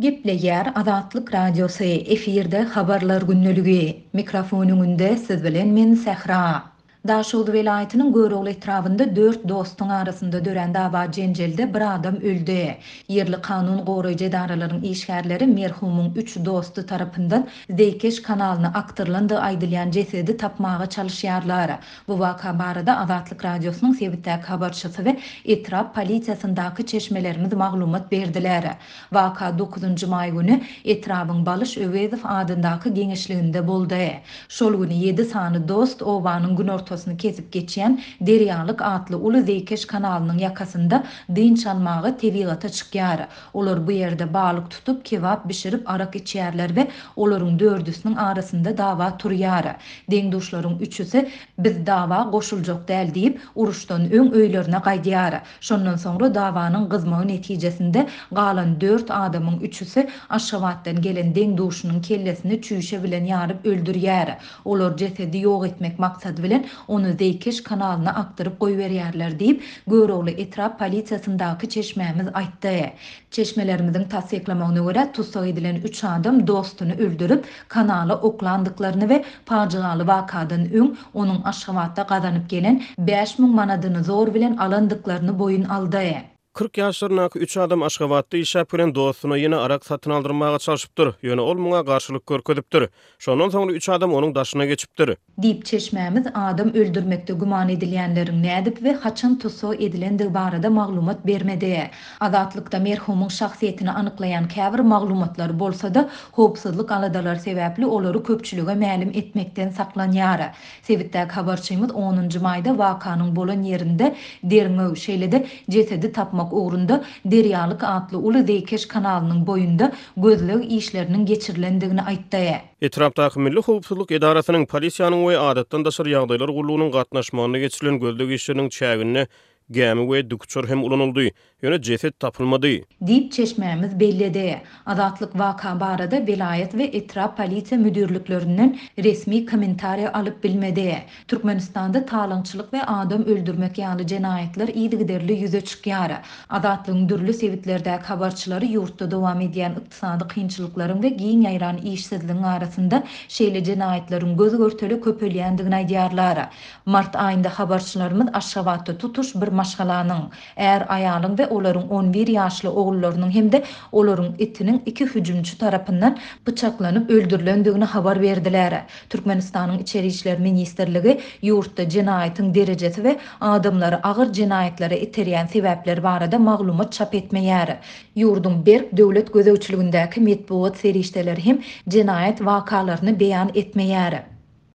Gepleýär Azatlyk Radiosy, efirde Habarlar gündeligi. Mikrofon öňünde siz bilen men Sähra. Daşoguz welaýatynyň Görogly etrabynda dört dostuň arasynda dörän dawa-jenjelde bir adam öldi. Ýerli kanun goraýjy edaralaryň işgärleri merhumyň üç dosty tarapyndan zeýkeş kanalyna akdyrylandygy aýdylýan jesedi tapmaga çalyşýarlar. Bu waka barada Azatlyk Radiosynyň sebitdäki habarçysy we etrap polisiýasyndaky çeşmelerimiz maglumat berdiler. Waka dokuzynjy maý güni etrabyň Balyş Öwezow adyndaky geňeşliginde boldy. Şol güni ýedi sany dost obanyň günortasyny kesip geçýän Derýalyk atly uly zeýkeş kanalynyň ýakasynda dynç almaga tebigata çykýar. Olar bu ýerde balyk tutup, kebap bişirip arak içýärler we olaryň dördüsiniň arasynda dawa turýar. Deň-duşlaryň üçüsi Biz dawa goşuljak däl diýip, uruşdan öň öýlerine gaýdýar. Şondan soňra dawanyň gyzmagy netijesinde galan dört adamyň üçüsi Aşgabatdan gelen deň-duşunyň kellesini çüýşe bilen ýaryp öldürýär. Olar jesedi ýok etmek maksady bilen ony zeýkeş kanalyna akdyryp goýberýärler diýip, Görogly etrap polisiýasyndaky çeşmämiz aýtdy. Çeşmelerimiziň tassyklamagyna görä, tussag edilen üç adam dostuny öldürip, kanala oklandyklaryny we pajygaly wakadan öň onuň Aşgabatda gazanyp gelen 5000 manadyny zor bilen alandyklaryny boýun aldy. 40 ýaşlaryndaky üç adam Aşgabatda işläp gelen dostuna ýene arak satyn aldyrmaga çalşypdyr, ýöne ol muňa garşylyk görkezipdir. Şondan soňra üç adam onuň daşyna geçipdir. Diýip, çeşmämiz adam öldürmekde güman edilýänleriň nädip we haçan tussag edilendigi barada maglumat bermedi. Azatlykda merhumyň şahsyýetini anyklaýan käbir maglumatlar bolsa-da, howpsuzlyk aladalary sebäpli olary köpçülige mälim etmekden saklanýar. Sebitdäki habarçymyz onunjy maýda wakanyň bolan ýerinde derňew, şeýle-de jesedi tapmak ugrunda Derýalyk atly uly zeýkeş kanalynyň boýunda gözleg işleriniň geçirilendigini aýtdy. Etrapdaky Milli howpsuzlyk edarasynyň, polisiýanyň we Adatdan daşary ýagdaýlar gullugynyň gatnaşmagynda geçirilen gözleg işleriniň çäginde gämi we dikuçar hem ulanyldy, ýöne jeset tapylmady. Diýip, çeşmämiz belledi. Azatlyk waka barada welaýat we etrap polisiýa müdirliklerinden resmi kommentariýa alyp bilmedi. Türkmenistanda talaňçylyk we adam öldürmek ýaly jenaýatlar yzygiderli ýüze çykýar. Azatlygyň dürli sebitlerdäki habarçylary ýurtda dowam edýän ykdysady kynçylyklaryň we giň ýaýran işsizligiň arasynda şeýle jenaýatlaryň göz-görtele köpelýändigini aýdýarlar. Mart aýynda habarçylarymyz Aşgabatda tutuş bir maşgalanyň, är-aýalyň we olaryň on bir ýaşly ogullarynyň hem-de olaryň itiniň iki hüjümçi tarapyndan pyçaklanyp öldürilendigini habar berdiler. Türkmenistanyň Içeri işler ministrligi ýurtda jenaýatyň derejesi we adamlary agyr jenaýatlara iterýän sebäpler barada maglumat çap etmeýär. Ýurduň berk döwlet gözegçiligindäki metbugat serişdeleri hem jenaýat wakalaryny beýan etmeýär.